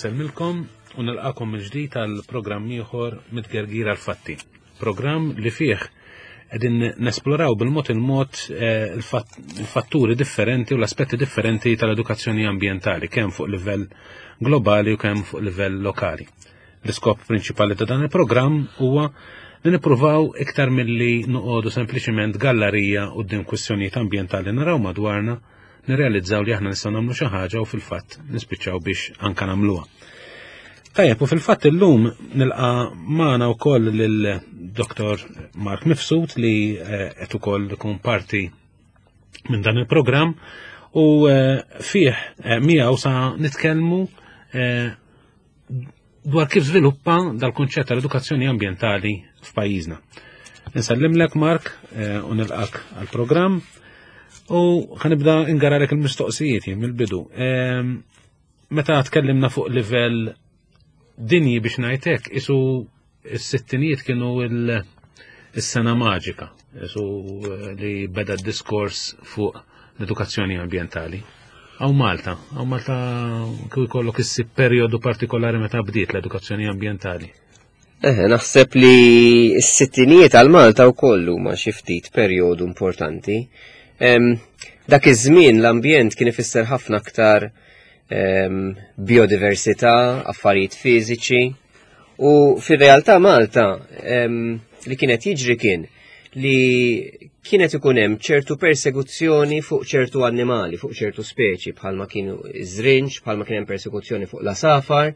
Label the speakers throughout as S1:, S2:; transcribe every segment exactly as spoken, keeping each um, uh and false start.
S1: Nsellmilkom u nilqakom mill-ġdid għal programm ieħor Mit-Tgergir għall-Fatti. Programm li fih qegħdin nesploraw bil-mod il-mod eh, il-fatturi differenti u l-aspetti differenti tal-edukazzjoni ambjentali, kemm fuq livell globali u kemm fuq livell lokali. L-iskop prinċipali ta' dan il-programm huwa li nippruvaw, iktar milli noqogħdu sempliċiment gallerija quddiem kwistjonijiet ambjentali naraw madwarna, nirrealizzaw li aħna nistgħu nagħmlu xi ħaġa u fil-fatt nispiċċaw biex anka nagħmluha. Tajjeb, u fil-fatt illum nilqa' magħna wkoll lil Doktor Mark Mifsud li eh, qed ukoll ikun parti minn dan il-programm u eh, fih eh, miegħu sa nitkellmu dwar kif żviluppa dal-kunċett tal-edukazzjoni ambjentali f'pajjiżna. Nsellimlek, Mark, u nilqak għal-programm u ħa nibda ingaralek il-mistoqsijiet mill-bidu. Meta tkellimna fuq livell dinji, biex ngħidlek, isu s-sittinijiet kienu il-sena maġika, isu eh, li beda d-diskors fuq l-edukazzjoni ambientali. Hawn Malta, hawn Malta kif ikollok issib periodu partikolari meta bdiet l-edukazzjoni ambientali?
S2: Eh, naħseb li s-sittinijiet għal Malta u kollu ma xi ftit perjodu importanti. Dak iż-żmien l-ambjent kien ifisser ħafna aktar biodiversità, affarijiet fiżiċi. U fir-realtà Malta li kienet jiġri kien li kienet ikun hemm ċertu persekuzzjoni fuq ċertu annimali, fuq ċertu speċi, bħalma kienu iż-żrinġ, bħalma kien hemm persekuzzjoni fuq l-għasafar,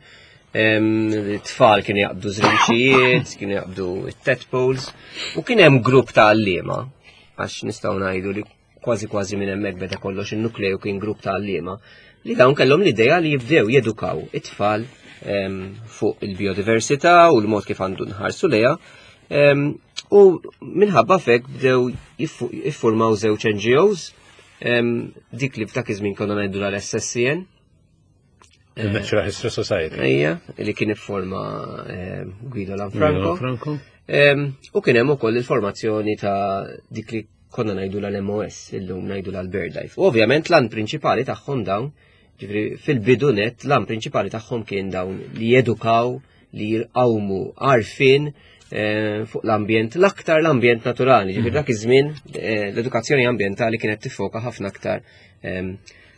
S2: tfal kienu jaqbdu żrinċijiet, kienu jaqbdu tadpoles, u kien hemm grupp ta' għalliema, għax nistgħu ngħidu li kważi kważi minn hemmhekk beda kollox, in-nukleu kien grupp ta' għalliema li dawn kellhom l-idea li jibdew jedukaw it-tfal em, fuq il-biodiversità u l-mod kif għandu nħarsu lejha. Em, u minħabba fek bdew jiffu- jiffurmaw żewġ N G Os, em, dik li f'dak iż-żmien konna ngħidu l-S S C N.
S1: Il-Natural History Society.
S2: Ejja, li kien ifforma em, Guido Lanfranco.
S1: Franco.
S2: Em, U kien hemm ukoll il-formazzjoni ta' dik li konna ngħidu l-M O S, illum ngħidu l-BirdLife. U ovvjament l-għan prinċipali tagħhom dawn, ġifieri fil-bidu net, l-għan prinċipali tagħhom kien dawn li jedukaw, li jirqawmu għarfien eh, fuq l-ambjent, l-aktar l-ambjent naturali. Ġifieri dak iż-żmien eh, l-edukazzjoni ambjentali kienet tiffoka ħafna aktar em,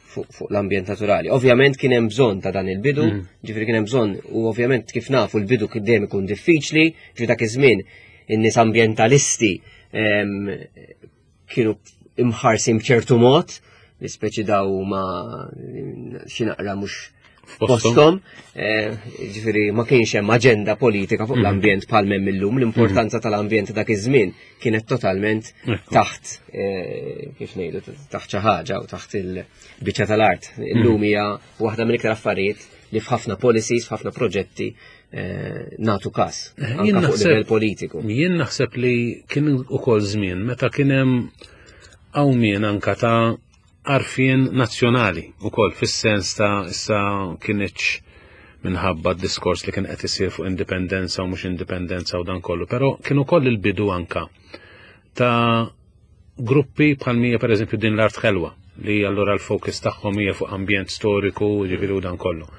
S2: fuq fuq l-ambjent naturali. Ovvjament kien hemm bżonn ta' dan il-bidu, ġifieri kien hemm bżonn u ovvjament kif nafu l-bidu kien dejjem ikun diffiċli, ġifieri dak iż-żmien in-nies ambjentalisti em, kienu imħarsin b'ċertu mod, li speċi daw ma xi naqra mhux
S1: F'posthom.
S2: postom, eh, ġifieri ma kienx hemm aġenda politika fuq l-ambjent bħal m'hemm illum, l-importanza tal-ambjent dak iż-żmien kienet totalment
S1: Ekku.
S2: taħt, eh, kif ngħidu, taħt xi ħaġa u taħt il-biċċa tal-art. Illum hija waħda mill-iktar affarijiet li f'ħafna policies, f'ħafna proġetti eh, natu kas,
S1: Jien
S2: anka fuq
S1: naħseb-
S2: livell politiku.
S1: Jien naħseb li kien ukoll żmien meta kien hemm qawmien anka ta' għarfien nazzjonali ukoll, fis-sens ta' issa kienx minħabba d-diskors li kien qed isir fuq indipendenza u mhux indipendenza u dan kollu, però kien ukoll il-bidu anka ta' gruppi bħal mija, per eżempju, Din l-Art Ħelwa, li allura l-fokus tagħhom hija fuq ambjent storiku, ġifieri u dan kollu.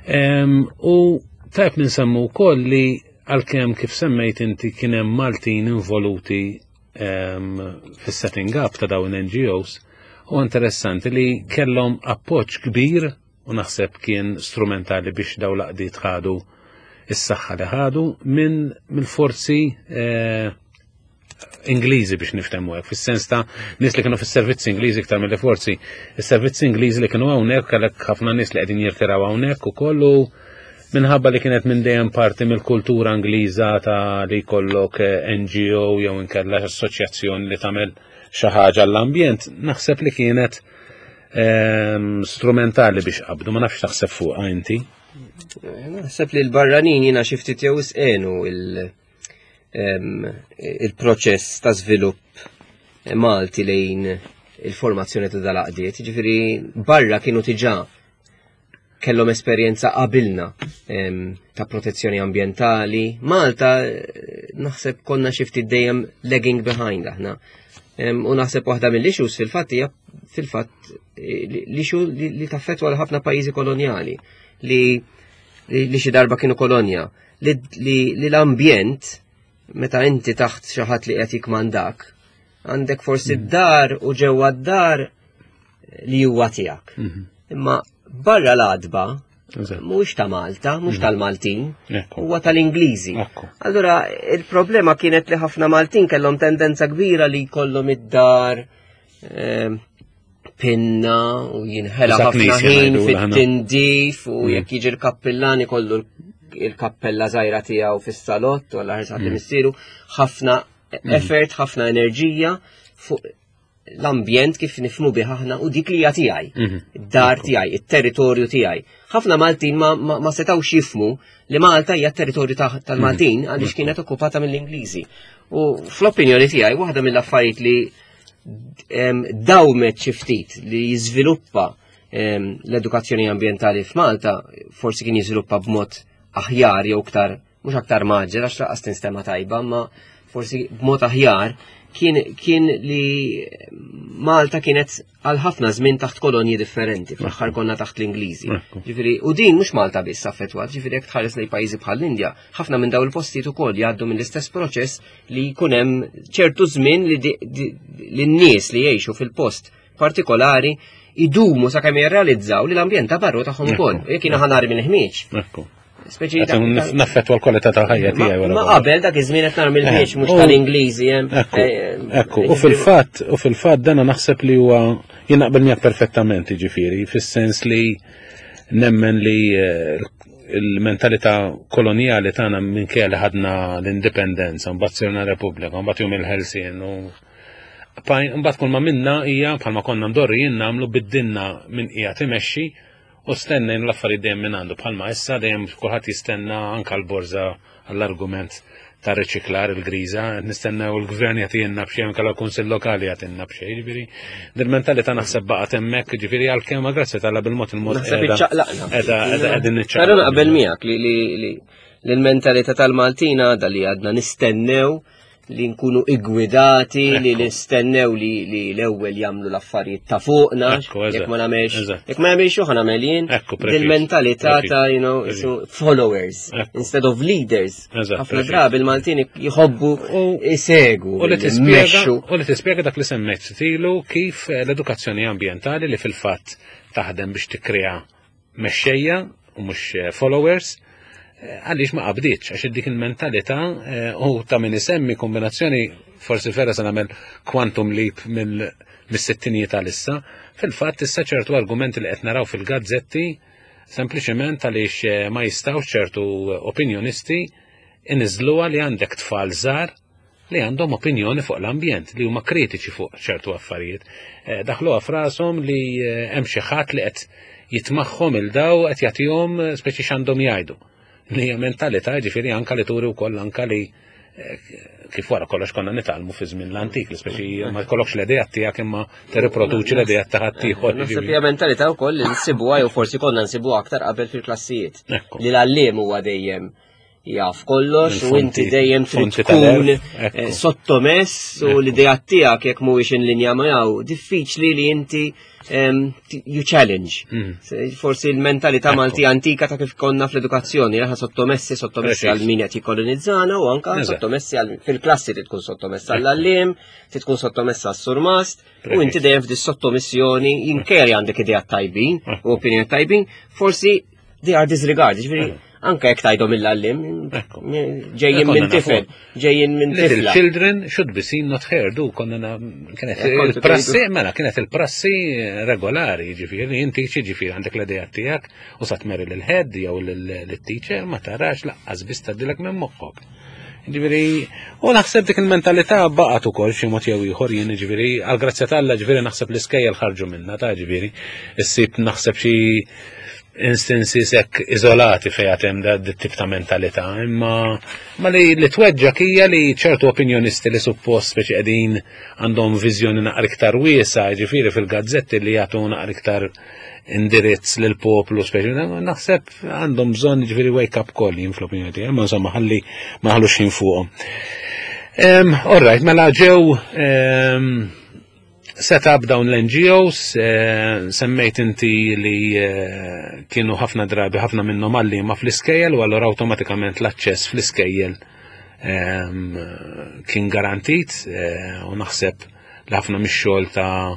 S1: Em, U tajb ninsemmu wkoll li għalkemm, kif semmejt inti, kien hemm Maltin involuti em, fis-setting up ta' dawn N G Os, u interessanti li kellhom appoġġ kbir u naħseb kien strumentali biex daw l-għaqdiet ħadu is-saħħa li ħadu minn mill-forzi eh, Ingliżi, biex niftehmu hekk, fis-sens ta' nies li kienu fis-servizzi Ingliżi iktar mill-forzi. Is-servizzi Ingliżi li kienu hawnhekk, kellek ħafna nies li qegħdin jirtiraw hawnhekk ukoll u minħabba li kienet minn dejjem parti mill-kultura Ingliża ta' li jkollok eh, N G O jew inkella assoċjazzjoni li tagħmel xi ħaġa l-ambjent, naħseb li kienet ehm, strumentali biex qabdu, ma nafx taħseb fuqha inti.
S2: Naħseb li l-barranin jiena xi ftit jew isqenu il- em, il-proċess ta' żvilupp Malti lejn il-formazzjoni ta' dal-għaqdiet. Ġifieri barra kienu diġà kellhom esperjenza qabilna em, ta' protezzjoni ambientali. Malta eh, naħseb konna xi ftit dejjem lagging behind aħna. Em, U naħseb waħda mill-issues fil-fatt hija fil-fatt eh, l-issue li, li taffetwa l ħafna pajjiżi kolonjali li li, li xi darba kienu kolonja, li, li, li l-ambjent meta inti taħt xi ħadd li qed jikmandak, għandek forsi d-dar u ġewwa d-dar li huwa tiegħek.
S1: Mhm.
S2: Imma barra l-għatba
S1: Eżatt.
S2: mhux ta' Malta, mhux tal-Maltin,
S1: Ekku.
S2: huwa tal-Ingliżi.
S1: Ekku.
S2: Allura, il-problema kienet li ħafna Maltin kellhom tendenza kbira li jkollhom id-dar ehm, pinna u jinħela
S1: Eżatt,
S2: ħafna
S1: knisja
S2: ħin
S1: ngħidu aħna.
S2: fit-tindif u jekk jiġi l-kappillan ikollu il-kappella żgħira tiegħu fis-salott u għalla ħarsat li missieru ħafna effort, ħafna enerġija fuq l-ambjent kif nifhmu bih aħna u dik li hija tiegħi
S1: Mhm.
S2: id-dar tiegħi, it-territorju tiegħi. Ħafna Maltin ma, ma, ma setawx jifhmu li Malta hija territorju ta- tal-Maltin għaliex kienet okkupata mill-Ingliżi. U fl-opinjoni tiegħi waħda mill-affarijiet li em, dawmet xi ftit li jiżviluppa em, l-edukazzjoni ambjentali f'Malta, forsi kien jiżviluppa b'mod aħjar jew aktar, mhux aktar mgħaġġel għax lanqas tinstema' tajba, ma forsi b'mod aħjar kien, kien li Malta kienet għal ħafna żmien taħt kolonji differenti, fl-aħħar konna taħt l-Ingliżi.
S1: Ekku.
S2: Ġifieri, u din mhux Malta biss affettwat, ġifieri jekk tħares lejn pajjiżi bħal l-Indja, ħafna minn dawn il-postijiet ukoll jgħaddu mill-istess proċess li jkun hemm ċertu żmien li, di- di- li n-nies li jgħixu fil-post partikolari idumu sakemm jirrealizzaw li l-ambjent ta' barru tagħhom ukoll.
S1: Ekku.
S2: Jekk jiena ħa narmi l-ħmieġ.
S1: Ekku.
S2: Speċi
S1: Qed nif- Naffettwa l-kwalità tal-ħajja tiegħi
S2: Ma
S1: wara
S2: ma
S1: kollox.
S2: qabel dak iż-żmien qed narmi l-ħmieġ mhux
S1: U-
S2: tal-Ingliżi hemm.
S1: Ekku,
S2: eh,
S1: ekku, u fil-fatt, u fil-fatt dana naħseb li huwa jien naqbel miegħek perfettament, jiġifieri, fis-sens li nemmen li eh, il-mentalità koloniali tagħna minkejja li ħadna l-indipendenza, mbagħad sirna Repubblika, mbagħad jum il-Ħelsien u mbagħad kull ma minna hija bħalma konna mdorrijin nagħmlu biddilna min qiegħed imexxi u stennejna l-affarijiet dejjem minn għandu bħalma issa dejjem kulħadd jistenna anka l-borża għall-argument ta' riċiklar il-griża, nistennew il-gvern jagħtina b'xejn anke l-kunsill lokali jagħtina b'xejn, ġifieri dil-mentalità naħseb baqgħet hemmhekk, ġifieri għalkemm grazzi t'Alla bil-mod il-mod
S2: Naħseb iċċaqlaqna.
S1: qiegħda qiegħda qegħdin niċċaqlaqna.
S2: Però naqbel miegħek li li li l-mentalità tal-Maltin għadha li għadna nistennew li nkunu iggwidati, li
S1: Ekku.
S2: nistennew li li l-ewwel jagħmlu l-affarijiet ta' fuqna,
S1: Ekku, eżatt,
S2: jekk ma nagħmelx,
S1: eżatt.
S2: jekk ma nagħmelx hu ħa nagħmel jien.
S1: Ekku, preċiż,
S2: Dil-mentalità
S1: preċiż,
S2: ta' you know,
S1: preċiż.
S2: so followers
S1: Ekku.
S2: instead of leaders.
S1: Eżatt,
S2: Ħafna
S1: preċiż.
S2: drabi il-Maltin jħobbu
S1: U-
S2: isegwu,
S1: U li tispjega
S2: immexxu.
S1: u li tispjega dak li semmejt stilu kif eh, l-edukazzjoni ambjentali li fil-fatt taħdem biex tikkrea mexxejja u mhux eh, followers eh, għaliex ma qabdietx għax dik il-mentalità eh, u ta' min isemmi kombinazzjoni forsi vera se nagħmel quantum leap mill mis-sittinijiet għal-issa, fil-fatt issa ċertu argumenti li qed naraw fil-gazzetti sempliċement għaliex eh, ma jistgħux ċertu opinjonisti iniżluha li għandek tfal żgħar li għandhom opinjoni fuq l-ambjent, li huma kritiċi fuq ċertu affarijiet. Eh, Daħluha f'rashom li eh, hemm xi ħadd li qed jitmagħhom 'il daw qed jagħtihom eh, speċi x'għandhom jgħidu. Li hija mentalità ġifieri anka li turi wkoll anka li eh, kif wara kollox konna nitgħallmu fi żmien l-antik, li speċi ma jkollokx l-idea tiegħek imma tirriproduċi l-idea ta' ħaddieħor.
S2: Naħseb hija mentalità wkoll li nsibuha jew forsi konna nsibuha aktar qabel fil-klassijiet.
S1: Ekku.
S2: Li l-għalliem huwa dejjem jaf kollox u inti
S1: Il-fonti-
S2: dejjem trid
S1: fonti
S2: tkun
S1: tal-għerf, ekku.
S2: eh, sottomess u
S1: Ekku.
S2: l-idea tiegħek jekk mhuwiex in linja miegħu diffiċli li inti em, ti- you challenge.
S1: Mm.
S2: Se- Forsi l-mentalità
S1: Ekku.
S2: Malti antika ta' kif konna fl-edukazzjoni, aħna sottomessi, sottomessi
S1: Preċiż.
S2: għal min qed jikkolonizzana u anka
S1: Eżatt.
S2: sottomessi għal fil-klassi trid tkun sottomessa għall-għalliem, trid tkun sottomessa għas-surmast, u
S1: Preċiż.
S2: inti dejjem f'di sottomissjoni jinkejja li għandek idea tajbin
S1: Ekku.
S2: u opinjoni tajbin, forsi they are disregarded, ġifieri anke jekk tgħidhom mill-għalliem,
S1: Ekku.
S2: ġejjin
S1: Konna
S2: minn
S1: nafu.
S2: tifel, ġejjin minn
S1: Little
S2: tifla.
S1: children should be seen not heard, u konna na- kienet
S2: Eh, kontu
S1: il-prassi, mela, kienet il-prassi regolari, ġifieri, inti ġifieri għandek l-idea tiegħek u sa tmeri l-head jew l-teacher ma tarax laqqas biss tgħaddilek minn moħħok. Ġifieri, u naħseb dik il-mentalità baqgħet ukoll xi mod jew ieħor jien ġifieri, għal grazzja t'Alla ġifieri naħseb l-iskejjel ħarġu minna ta' ġifieri, issib naħseb xi instances hekk iżolati fejn għad hemm da tip ta' mentalità, imma ma li li tweġġak hija li ċertu opinjonisti li suppost speċi qegħdin għandhom viżjoni naqra iktar wiesa, ġifieri fil-gazzetti li jagħtu naqra iktar indirizz lil poplu speċi naħseb għandhom bżonn ġifieri wake up call jien fl-opinjoni tiegħi, imma insomma ħalli ma ħallux ħin fuqhom. Um, all right, mela ġew um, Set up dawn l-N G Os, eh, semmejt inti li eh, kienu ħafna drabi ħafna minnhom għalliema fl-iskejjel u allura awtomatikament l-aċċess fl-iskejjel ehm, kien garantit eh, u naħseb li ħafna mix-xogħol ta'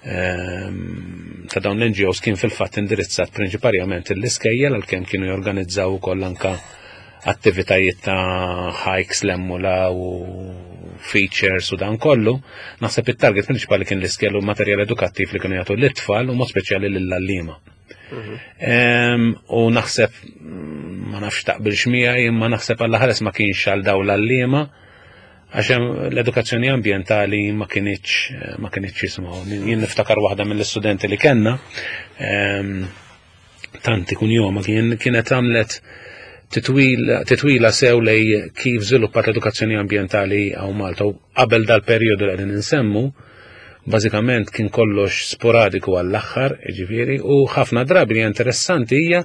S1: ehm, ta' dawn l-N G Os kien fil-fatt indirizzat prinċiparjament l-iskejjel, għalkemm kienu jorganizzaw ukoll anka attivitajiet ta' hikes l-emmula u features u dan kollu. Naħseb it-target prinċipali kien l-iskejjel u materjal edukattiv li kienu jagħtu l-itfal u mod speċjali lill-għalliema. Em, U naħseb, mm, ma nafx taqbilx miegħi, imma naħseb għalla ħares ma kienx għal dawn l-għalliema, għax hemm l-edukazzjoni ambjentali ma kinitx ma kinitx jismu. Jien niftakar waħda mill-istudenti li kellna, em, tanti kun joma kien kienet għamlet titwila, titwila sew lej kif żviluppat l-edukazzjoni ambjentali hawn Malta u qabel dal-perjodu li qegħdin insemmu, bażikament kien kollox sporadiku għall-aħħar, ġifieri, u ħafna drabi li interessanti hija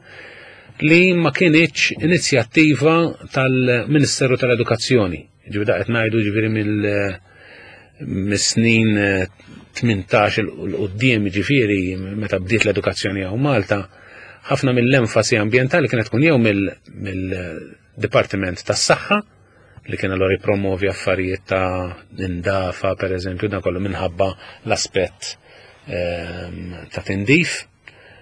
S1: li ma kinitx inizjattiva tal-Ministeru tal-Edukazzjoni. Ġifieri da qed ngħidu ġifieri mill mis-snin eh, tmintax 'il quddiem, ġifieri meta bdiet l-edukazzjoni hawn Malta, ħafna mill-enfasi ambjentali kienet tkun jew mill-Dipartiment tas-Saħħa li kien allora jipromovi affarijiet ta' indafa, per eżempju, dan kollu minħabba l-aspett ehm, ta' tindif,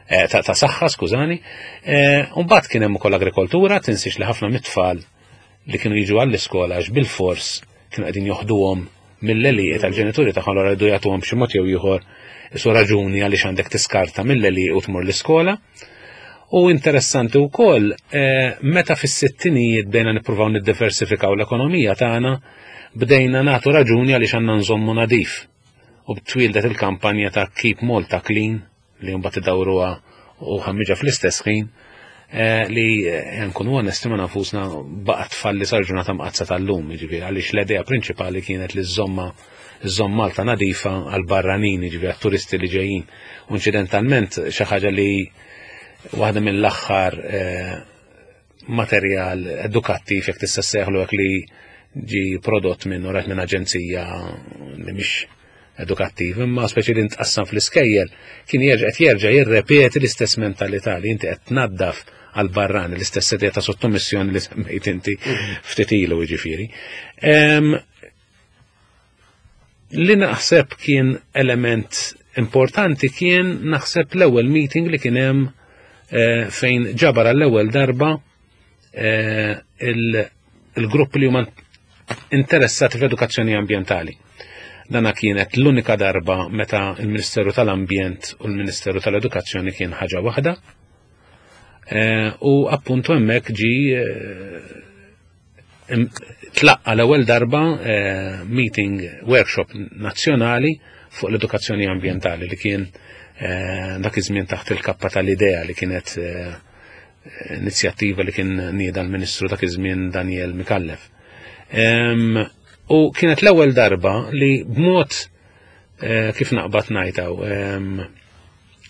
S1: eh, ta' ta' saħħa, skużani. Eh, Mbagħad kien hemm ukoll agrikoltura, tinsiex li ħafna mit-tfal li kienu jiġu għall-iskola għax bil-fors kienu qegħdin joħduhom mill-għelieqi tal-ġenituri tagħhom, allura jridu jagħtuhom b'xi mod jew ieħor isu raġuni għaliex għandek tiskarta mill-għelieqi u tmur l-iskola. U interessanti wkoll eh, meta fis-sittinijiet bdejna nippruvaw niddiversifikaw l-ekonomija tagħna, bdejna nagħtu raġuni għaliex għandna nżommu nadif. U twieldet il-kampanja ta' Keep Malta Clean li mbagħad idawruha u ħammiġa fl-istess ħin eh, li eh, nkunu onesti ma' nfusna baqgħet tfalli sal-ġurnata mqaddsa tal-lum, jiġifieri għaliex l-idea prinċipali kienet li żżomma żżomm Malta nadifa għal barranin, jiġifieri għat-turisti li ġejjin. U inċidentalment xi ħaġa li waħda mill-aħħar eh, materjal edukattiv, jekk tista' sejħlu hekk, li ġi prodott minn u minn aġenzija li mhix edukattiv, imma speċi li ntqassam fl-iskejjel, kien jerġa' qed jerġa' jirrepeti l-istess mentalità li inti qed tnaddaf għal barrani, l-istess idea ta' sottomissjoni li semmejt inti ftit ilu, jiġifieri. Em, Li naħseb kien element importanti kien naħseb l-ewwel meeting li kien hemm eh, fejn ġabar għall-ewwel darba eh, il- il-grupp li huma interessati fl-edukazzjoni ambjentali. Dana kienet l-unika darba meta il-Ministeru tal-Ambjent u l-Ministeru tal-Edukazzjoni kien ħaġa waħda. Eh, U appuntu hemmhekk ġi eh, im- tlaqqa l-ewwel darba eh, meeting workshop nazzjonali fuq l-edukazzjoni ambjentali li kien eh, dak iż-żmien taħt il-kappa tal-IDEA, li kienet eh, inizjattiva li kien nieda l-Ministru dak iż-żmien Daniel Micallef. Em, U kienet l-ewwel darba li b'mod eh, kif naqbad ngħidaw em,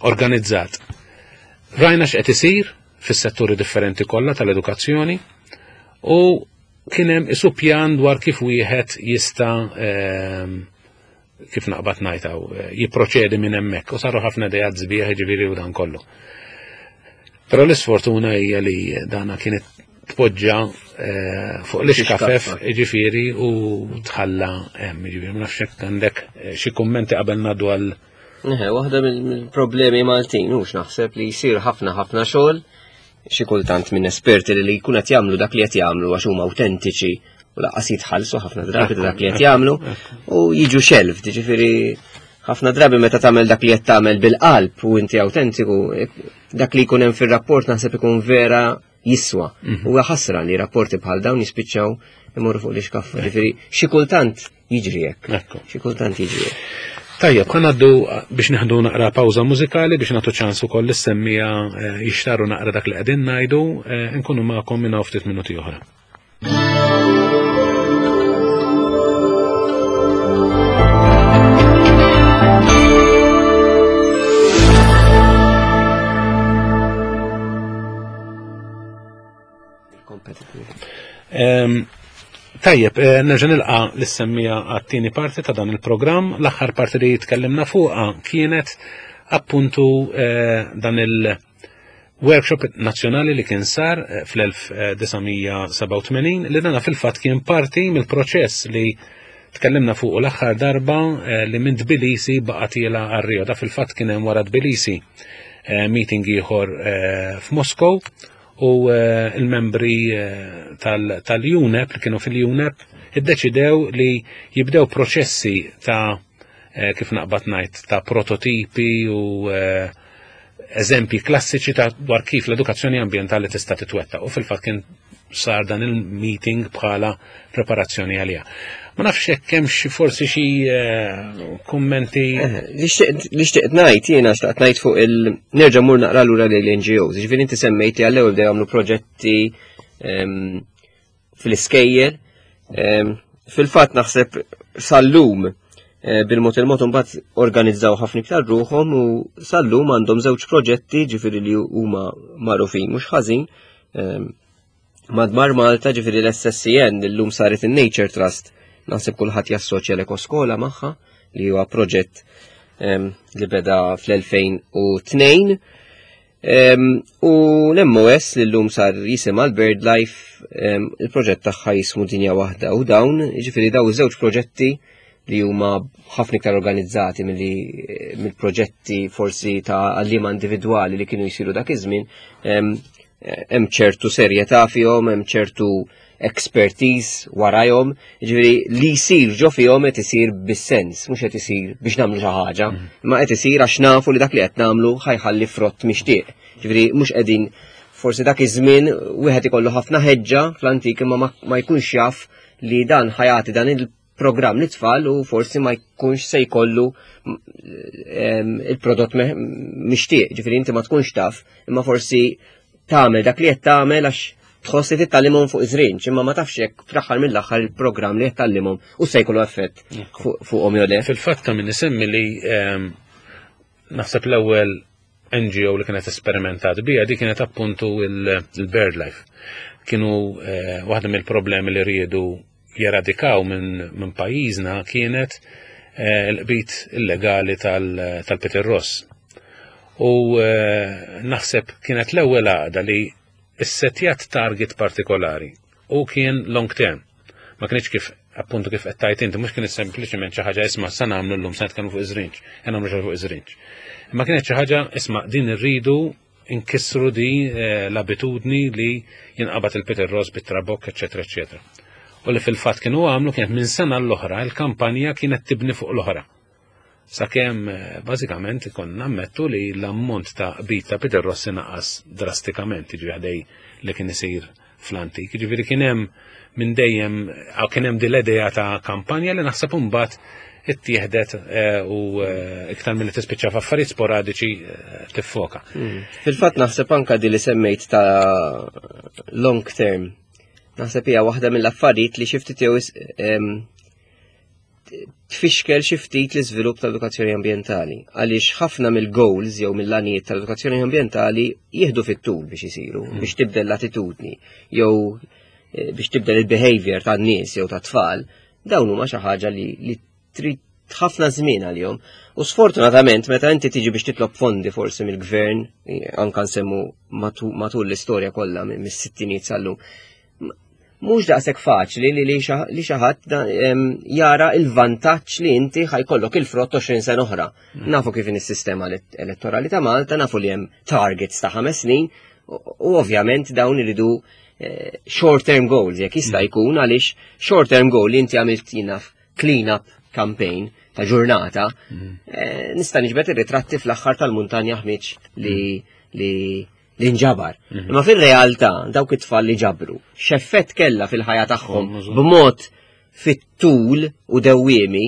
S1: organizzat rajna x'qed isir fis-setturi differenti kollha tal-edukazzjoni u kien hemm isu pjan dwar kif wieħed jista' em, kif naqbad ngħidaw eh, jipproċedi minn hemmhekk u saru ħafna idejat sbieħ, ġifieri, u dan kollu. Però l-isfortuna hija li dana kienet tpoġġa eh, fuq l-ixkafef, ġifieri, u tħalla hemm, ġifieri ma nafx hekk għandek eh, xi kummenti qabel ngħaddu għal
S2: Eħe, waħda mill-problemi Maltin, hux naħseb li jsir ħafna ħafna xogħol xi kultant minn esperti li li jkun qed jagħmlu dak li qed jagħmlu għax huma awtentiċi u lanqas jitħallsu ħafna drabi ta' dak li qed jagħmlu u jiġu shelved, ġifieri ħafna drabi meta tagħmel dak li qed tagħmel bil-qalb u inti awtentiku, dak li jkun hemm fir-rapport naħseb ikun vera jiswa. U ħasra li rapporti bħal dawn jispiċċaw imorru fuq l-ixkaffa. Ġifieri xi kultant jiġri hekk.
S1: Ekku.
S2: Xi kultant jiġri hekk.
S1: Tajjeb, ħa ngħaddu biex nieħdu naqra pawża mużikali biex nagħtu ċans ukoll lis-semmiegħa eh, jixtaru naqra dak li qegħdin ngħidu, eh, nkunu magħkom minn hawn ftit minuti oħra.
S2: Competitive.
S1: Em, Tajjeb, eh, nerġa' nilqa' lis-semmiegħa għat-tieni parti ta' dan il-programm. L-aħħar parti li tkellimna fuqha kienet appuntu eh, dan il-workshop nazzjonali li kien sar eh, fl-elf disa' mija sebgħa u tmenin, li dana fil-fatt kien parti mill-proċess li tkellimna fuq l-aħħar darba, li minn Tbilisi baqa' tiela' għal Rio. Da fil-fatt kien hemm wara Tbilisi meeting ieħor f'Moskow u eh, il-membri eh, tal-UNEP li kienu fil-UNEP iddeċidew li jibdew proċessi ta' eh, kif naqbad ngħid, ta' prototipi u eżempji klassiċi ta' dwar kif l-edukazzjoni ambientali tista' titwettaq, u fil-fatt kien sar dan il-meeting bħala preparazzjoni għalija. Ma nafx hekk hemm xi forsi xi eh, kummenti.
S2: Eh, li xtaqt ngħid jiena, xtaqt ngħid fuq il nerġa' mur naqra lura lill-N G Os. Ġifieri inti semmejt li għall-ewwel bdew jagħmlu proġetti ehm, fil-iskejjel. Ehm, fil-fatt naħseb sal-lum eh, bil-mod il-mod mbagħad organizzaw ħafna iktar ruħhom u sal-lum għandhom żewġ proġetti, ġifieri li huma magħrufin mhux ħażin ehm, madwar Malta, ġifieri l-S S C N, illum saret in-Nature Trust, naħseb kulħadd jassoċja l-Ekoskola magħha, li huwa proġett li beda fl-elfejn u tnejn. U l-M O S li l-lum sar jisimha l-BirdLife, il-proġett tagħha jismu Dinja Waħda, u dawn, ġifieri daw iż-żewġ proġetti li huma ħafna iktar organizzati mill-proġetti forsi ta' għallima individwali li kienu jisiru dak iż-żmien, hemm ċertu serjetà fihom, hemm ċertu expertise warajhom, ġifieri li jsir ġo fihom qed isir bis-sens, mhux qed isir biex nagħmlu xi ħaġa, mm. imma qed isir għax nafu li dak li qed nagħmlu ħa jħalli frott mixtieq. Ġifieri mhux qegħdin, forsi dak iż-żmien wieħed ikollu ħafna ħeġġa fl-antik, imma ma jkunx jaf li dan ħa jagħti dan il-programm lit-tfal u forsi ma jkunx se jkollu il-prodott mixtieq, ġifieri inti ma tkunx taf, imma forsi tagħmel dak li qed tagħmel għax tħoss li titgħallimhom fuq iż-żrinġ, imma ma tafx jekk fl-aħħar mill-aħħar il-programm li qed tgħallimhom u se jkollu effett fuqhom jew le.
S1: Fil-fatt ta' min isemmi li ehm, naħseb l-ewwel N G O li kienet esperimentat bija di kienet appuntu il-BirdLife. Kienu eh, waħda mill-problemi li riedu jeradikaw minn min pajjiżna kienet eh, l-qbit illegali tal-Peter Ross. U eh, naħseb kienet l-ewwel għaqda li issetjat target partikolari u kien long term. Ma kienx kif appuntu kif qed tajt inti, mhux kienet sempliċement xi ħaġa, isma' sa nagħmlu llum, sa nitkellmu fuq iż-żrinġ, qed nagħmlu xi fuq iż-żrinġ. Imma kienet xi ħaġa, isma' din irridu inkissru di eh, l-abitudni li jinqabad il-Peter Ross bit-trabok, eċetera, eċetera. U li fil-fatt kienu għamlu kienet minn sena l-oħra, il-kampanja kienet tibni fuq l-oħra. Sakemm eh, bażikament konna nammettu li l-ammont ta' qbit ta' Peter Ross naqas drastikament, jiġifieri ħdej li kien isir fl-antik. Jiġifieri kien hemm minn dejjem kien hemm din l-idea ta' kampanja li naħseb imbagħad ittieħdet eh, u eh, iktar mill-li tispiċċa f'affarijiet sporadiċi tiffoka.
S2: Hmm. Fil-fatt naħseb anka di li semmejt ta' long term. Naħseb hija waħda mill-affarijiet li xi ftit jew tfixkel xi ftit l-iżvilupp tal-edukazzjoni ambjentali, għaliex ħafna mill-goals jew mill-għanijiet tal-edukazzjoni ambjentali jieħdu fit-tul biex isiru, mm. biex tibdel l-attitudni jew eh, biex tibdel il-behavior tan-nies jew tat-tfal, dawn huma xi ħaġa li, li trid ħafna żmien għalihom. U sfortunatament meta inti tiġi biex titlob fondi forsi mill-gvern, anka nsemmu matul l-istorja kollha mis-sittinijiet sal-lum, mhux daqshekk faċli li li xi ħadd jara il-vantaġġ li inti ħa jkollok il-frott għoxrin sena oħra. Mm. Nafu kif is-sistema elettorali ta' Malta, nafu li hemm targets ta' ħames snin u ovvjament dawn iridu eh, short term goals jekk jista' mm. jkun, għaliex short term goal li inti għamilt jinaf clean up campaign ta' ġurnata, mm. eh, nista' niġbed ir-ritratti fl-aħħar tal-muntanja ħmiġ li li li nġabar. Mhm. Imma fil-realtà dawk it-tfal li ġabru, x'effett kella fil-ħajja tagħhom b'mod fit-tul u dewwiemi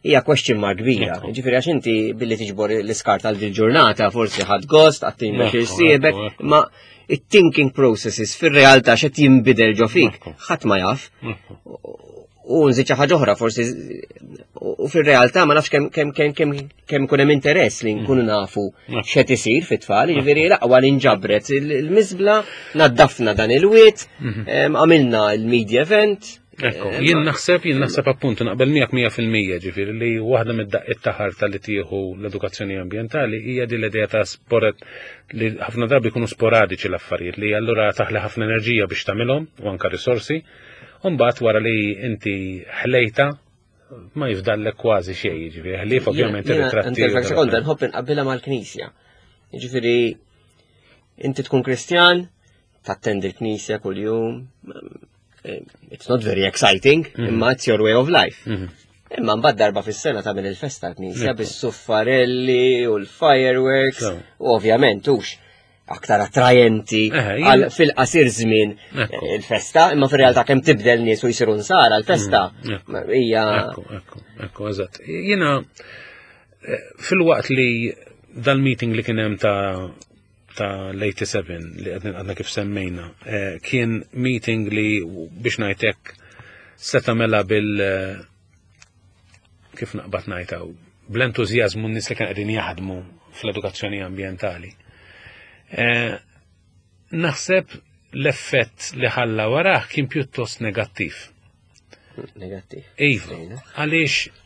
S2: hija question mark kbira. Ġifieri għax inti billi tiġbor l-iskart għal ġurnata forsi ħadd gost, għattin biex irsiebek, ma it-thinking processes fil-realtà x'qed jinbidel ġo fik, ħadd ma jaf. U nżid xi ħaġa oħra forsi, u fir-realtà ma nafx kemm kemm kemm kemm kemm ikun hemm interess li nkunu mm. nafu x'qed isir fit-tfal, jiġifieri l-aqwa li nġabret il-miżbla, naddafna dan il-wied, mhm. għamilna il-media event,
S1: Ekku, jien naħseb, jien naħseb appuntu naqbel miegħek mija fil-mija, ġifieri li waħda mid-daqqiet ta' ħarta li tieħu l-edukazzjoni ambjentali hija din l-idea ta' sporat li ħafna drabi jkunu sporadiċi l-affarijiet, li allura taħli ħafna enerġija biex tagħmilhom u anka risorsi, u mbagħad wara li inti ħlejta ma jifdallek kważi xejn, ġifieri ħlief ovvjament ir-ritratti.
S2: Inti sekonda nħobb inqabbilha mal-Knisja. Jiġifieri inti tkun Kristjan, tattendi l-Knisja kuljum, it's not very exciting, mhm. imma it's your way of life. Mhm. Imma mbagħad darba fis-sena tagħmel il-festa l-Knisja bis-suffarelli u l-fireworks, u ovvjament hux aktar attrajenti għal fil-qasir żmien il-festa, imma fir-realtà kemm tibdel nies u jsiru nsara l-festa mm, hija.
S1: Ekku, ekku, ekku, eżatt. Jiena eh, fil-waqt li dal-meeting li kien hemm ta' ta' l-tminja u sebgħin li għadna kif semmejna, eh, kien meeting li, biex ngħidlek, seta mela bil eh, kif naqbad ngħidha, bl-entużjażmu n-nies li kien qegħdin jaħdmu fl-edukazzjoni ambjentali. Eh, naħseb l-effett li ħalla warah kien pjuttost negattiv.
S2: Negattiv.
S1: Iva, għaliex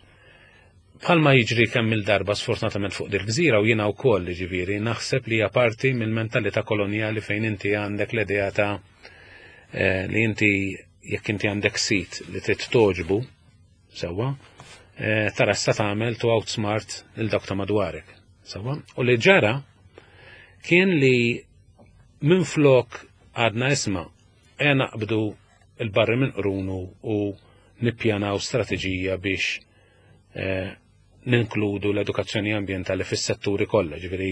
S1: bħalma jiġri kemm il-darba sfortunatament fuq dil-gżira, u jiena wkoll, ġifieri, naħseb li hija parti mill-mentalità kolonjali fejn inti għandek l-idea ta' eh, li inti jekk inti għandek sit li trid toġbu sewwa, eh, tara sa tagħmel to outsmart il dak ta' madwarek. Sewwa? U li ġara kien li minn flok għadna, isma', e naqbdu il-barri minn qrunu u nippjanaw strateġija biex eh, ninkludu l-edukazzjoni ambientali fis-setturi kollha. Ġifieri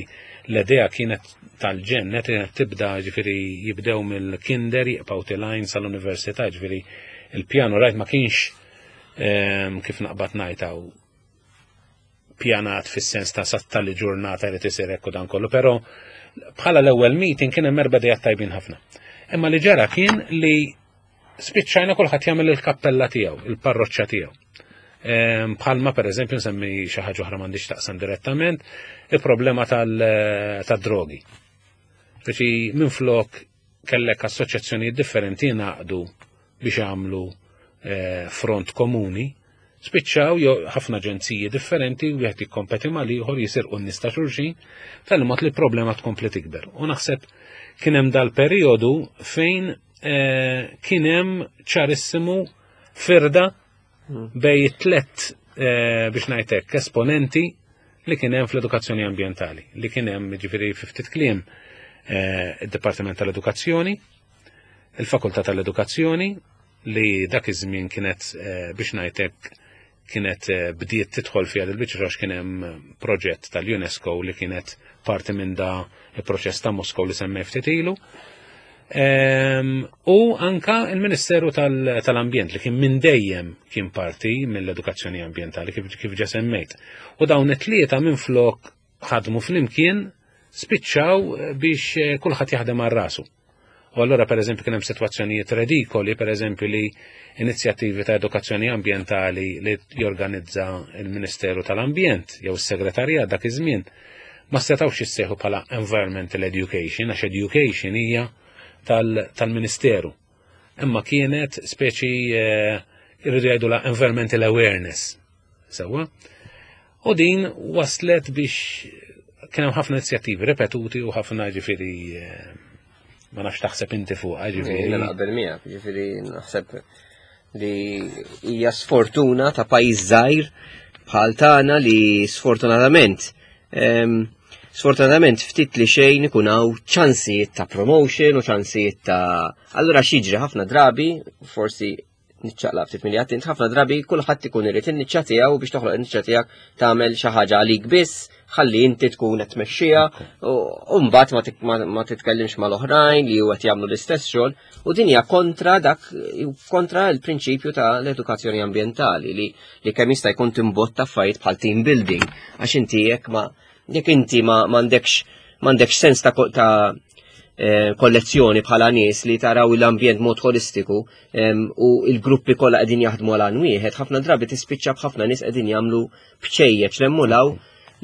S1: l-idea kienet tal-ġenn, kienet tibda, ġifieri jibdew mill-kinder, jibqgħu telgħin sal-università, ġifieri il-pjanu rajt ma kienx ehm, kif naqbad ngħidha, pjanat fis-sens ta' satta li ġurnata li tisir ekku dan kollu, però bħala l-ewwel meeting kien hemm erba' idejat tajbin ħafna. Imma li ġara kien li spiċċajna kulħadd jagħmel il-kappella tiegħu, il-parroċċa tiegħu. Ehm, bħalma per eżempju nsemmi xi ħaġa oħra m'għandix taqsam direttament, il-problema tad-drogi. Speċi minflok kellek assoċjazzjonijiet differenti jingħaqdu biex jagħmlu eh, front komuni, spiċċaw jo ħafna aġenziji differenti, wieħed jikkompeti mal ieħor, jisirqu n-nies ta' xulxin, tal-mod li problema tkompli tikber. U naħseb kien hemm dal-perjodu fejn eh, kien hemm ċarissimu firda bejn tlet eh, biex ngħidlek esponenti li kien hemm fl-edukazzjoni ambjentali, li kien hemm, ġifieri fi ftit kliem, eh, id-Dipartiment tal-Edukazzjoni, il-Fakultà tal-Edukazzjoni li dak iż-żmien kienet, eh, biex ngħidlek, kienet bdiet tidħol fiha dil-biċċa għax kien hemm proġett tal-UNESCO li kienet parti minn da il-proċess ta' Moskow li semmej ftit ilu. Ehm, u anka il-Ministeru tal-Ambjent li kien minn dejjem kien parti mill-edukazzjoni ambjentali kif, kif ġa semmejt. U dawn it-tlieta minn flok ħadmu flimkien spiċċaw biex eh, kulħadd jaħdem għal rasu. U allura per eżempju kien hemm sitwazzjonijiet redikoli, per eżempju li inizjattivi ta' edukazzjoni ambjentali li jorganizza il-Ministeru tal-Ambjent jew is-Segretarjat dak iż-żmien ma setgħux jissejħu bħala environmental education għax education hija tal-Ministeru. Imma kienet speċi eh, irridu jgħidu la environmental awareness. Sewwa? U din waslet biex kien hemm ħafna inizjattivi ripetuti u ħafna, ġifieri, eh, ma nafx taħseb inti fuq, ġifieri.
S2: Jiena naqbel miegħek, ġifieri naħseb li hija sfortuna ta' pajjiż żgħir bħal tagħna li sfortunatament em, sfortunatament ftit li xejn ikun hawn ċansijiet ta' promotion u ċansijiet ta' allura x'jiġri ħafna drabi, forsi niċċaqlaq ftit milli int, ħafna drabi kulħadd ikun irid in-niċċa tiegħu. Biex toħloq in-niċċa tiegħek tagħmel xi ħaġa għalik biss, ħalli inti tkun qed tmexxiha u mbagħad ma tik- ma ma titkellimx mal-oħrajn li huwa qed jagħmlu l-istess xogħol, u din hija kontra dak kontra l-prinċipju ta' l-edukazzjoni ambjentali li li kemm jista' jkun timbotta affarijiet bħal team building, għax inti jekk ma jekk inti ma m'għandekx m'għandekx sens ta' ko- ta' eh, kollezzjoni bħala nies li taraw l-ambjent mod holistiku em, u il-gruppi kollha qegħdin jaħdmu għal għan wieħed, ħafna drabi tispiċċa b'ħafna nies qegħdin jagħmlu bċejjeċ lemmu law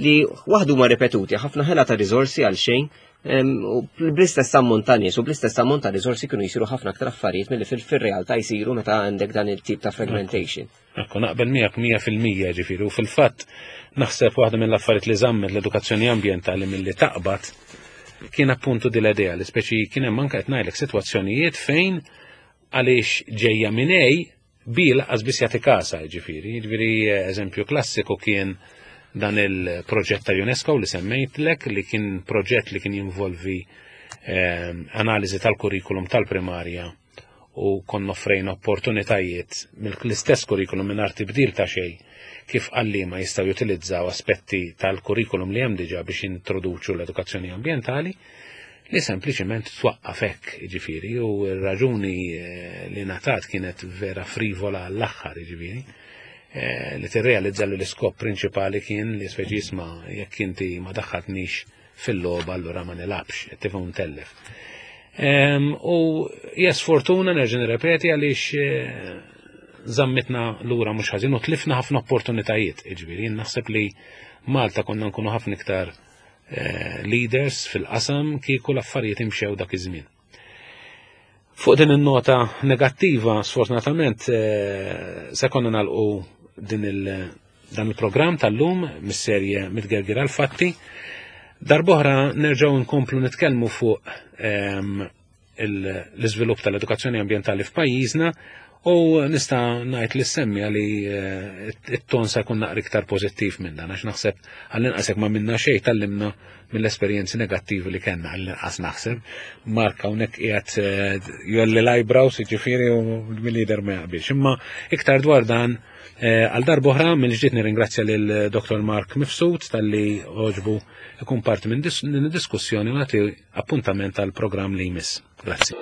S2: li waħdu ma ripetuti, ħafna ħela ta' riżorsi għal xejn. U bl-istess ammont ta' nies u bl-istess ammont ta' riżorsi kienu jsiru ħafna aktar affarijiet milli fil-realtà jsiru meta għandek dan il-tip ta' fragmentation.
S1: Ekku, naqbel miegħek mija fil-mija ġifieri, u fil-fatt naħseb waħda mill-affarijiet li żammet l-edukazzjoni ambjentali milli taqbad kien appuntu din l-idea li speċi kien hemm anke qed ngħidlek sitwazzjonijiet fejn għaliex ġejja minn A B lanqas biss jagħti kasa ġifieri. Ġifieri eżempju klassiku kien dan il-proġett ta' UNESCO li semmejtlek, li kien proġett li kien jinvolvi eh, analiżi tal-kurrikulum tal-primarja u konna offrejna opportunitajiet mill-istess kurrikulum mingħajr tibdil ta' xejn kif għalliema jistgħu jutilizzaw aspetti tal-kurrikulum li hemm diġà biex introduċu l-edukazzjoni ambjentali, li sempliċement twaqqaf hekk, jiġifieri, u r-raġuni eh, li ngħatat kienet vera frivola għall-aħħar, jiġifieri, eh, li tirrealizza li l-iskop prinċipali kien li speċi jisma' jekk inti ma daħħatnix fil-logħba allura ma nilgħabx, qed tifhem ntellef. U hija sfortuna, nerġa' nirrepeti, għaliex eh, żammitna lura mhux ħażin u tlifna ħafna opportunitajiet, jiġifieri jien naħseb li Malta konna nkunu ħafna iktar eh, leaders fil-qasam kieku l-affarijiet imxew dak iż-żmien. Fuq din in-nota negattiva, sfortunatament, eh, se konna nagħlqu din il dan il-programm tal-lum mis-serje Mitgerger għal-Fatti. Darb'oħra nerġgħu nkomplu nitkellmu fuq ehm, l-iżvilupp tal-edukazzjoni ambjentali f'pajjiżna u nista' ngħid li semmija li eh, it-ton se jkun naqra iktar pożittiv minn dan, għax naħseb għall-inqas jekk ma minna xejn tgħallimna mill-esperjenzi negattivi li kellna, għall-inqas naħseb. Mark hawnhekk qiegħed eh, jgħolli l-eyebrows, jiġifieri, u mill-lider ma jaqbilx. Imma iktar dwar dan eh, għal darb'oħra mill-ġdid nirringrazzja lil Dottor Mark Mifsud talli għoġbu ikun parti minn din id-diskussjoni u nagħti appuntament għal programm li jmiss. Grazzi.